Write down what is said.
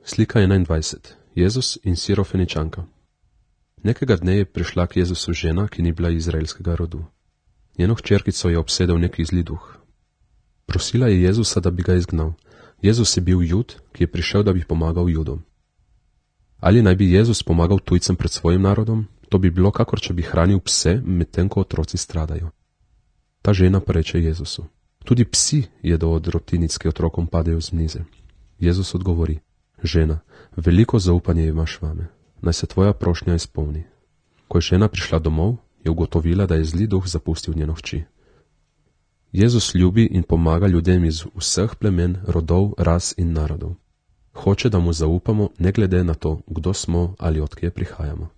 Slika 21. Jezus in Sirofeničanka. Nekega dne je prišla k Jezusu žena, ki ni bila izraelskega rodu. Njeno hčerkico je obsedel neki zli duh. Prosila je Jezusa, da bi ga izgnal. Jezus je bil Jud, ki je prišel, da bi pomagal Judom. Ali naj bi Jezus pomagal tujcem pred svojim narodom? To bi bilo, kakor če bi hranil pse, medtem ko otroci stradajo. Ta žena pa reče Jezusu: tudi psi jedo od drobtinic, ki otrokom padejo z mize. Jezus odgovori: žena, veliko zaupanje imaš vame, naj se tvoja prošnja izpolni. Ko je žena prišla domov, je ugotovila, da je zli duh zapustil njeno hči. Jezus ljubi in pomaga ljudem iz vseh plemen, rodov, ras in narodov. Hoče, da mu zaupamo, ne glede na to, kdo smo ali od kje prihajamo.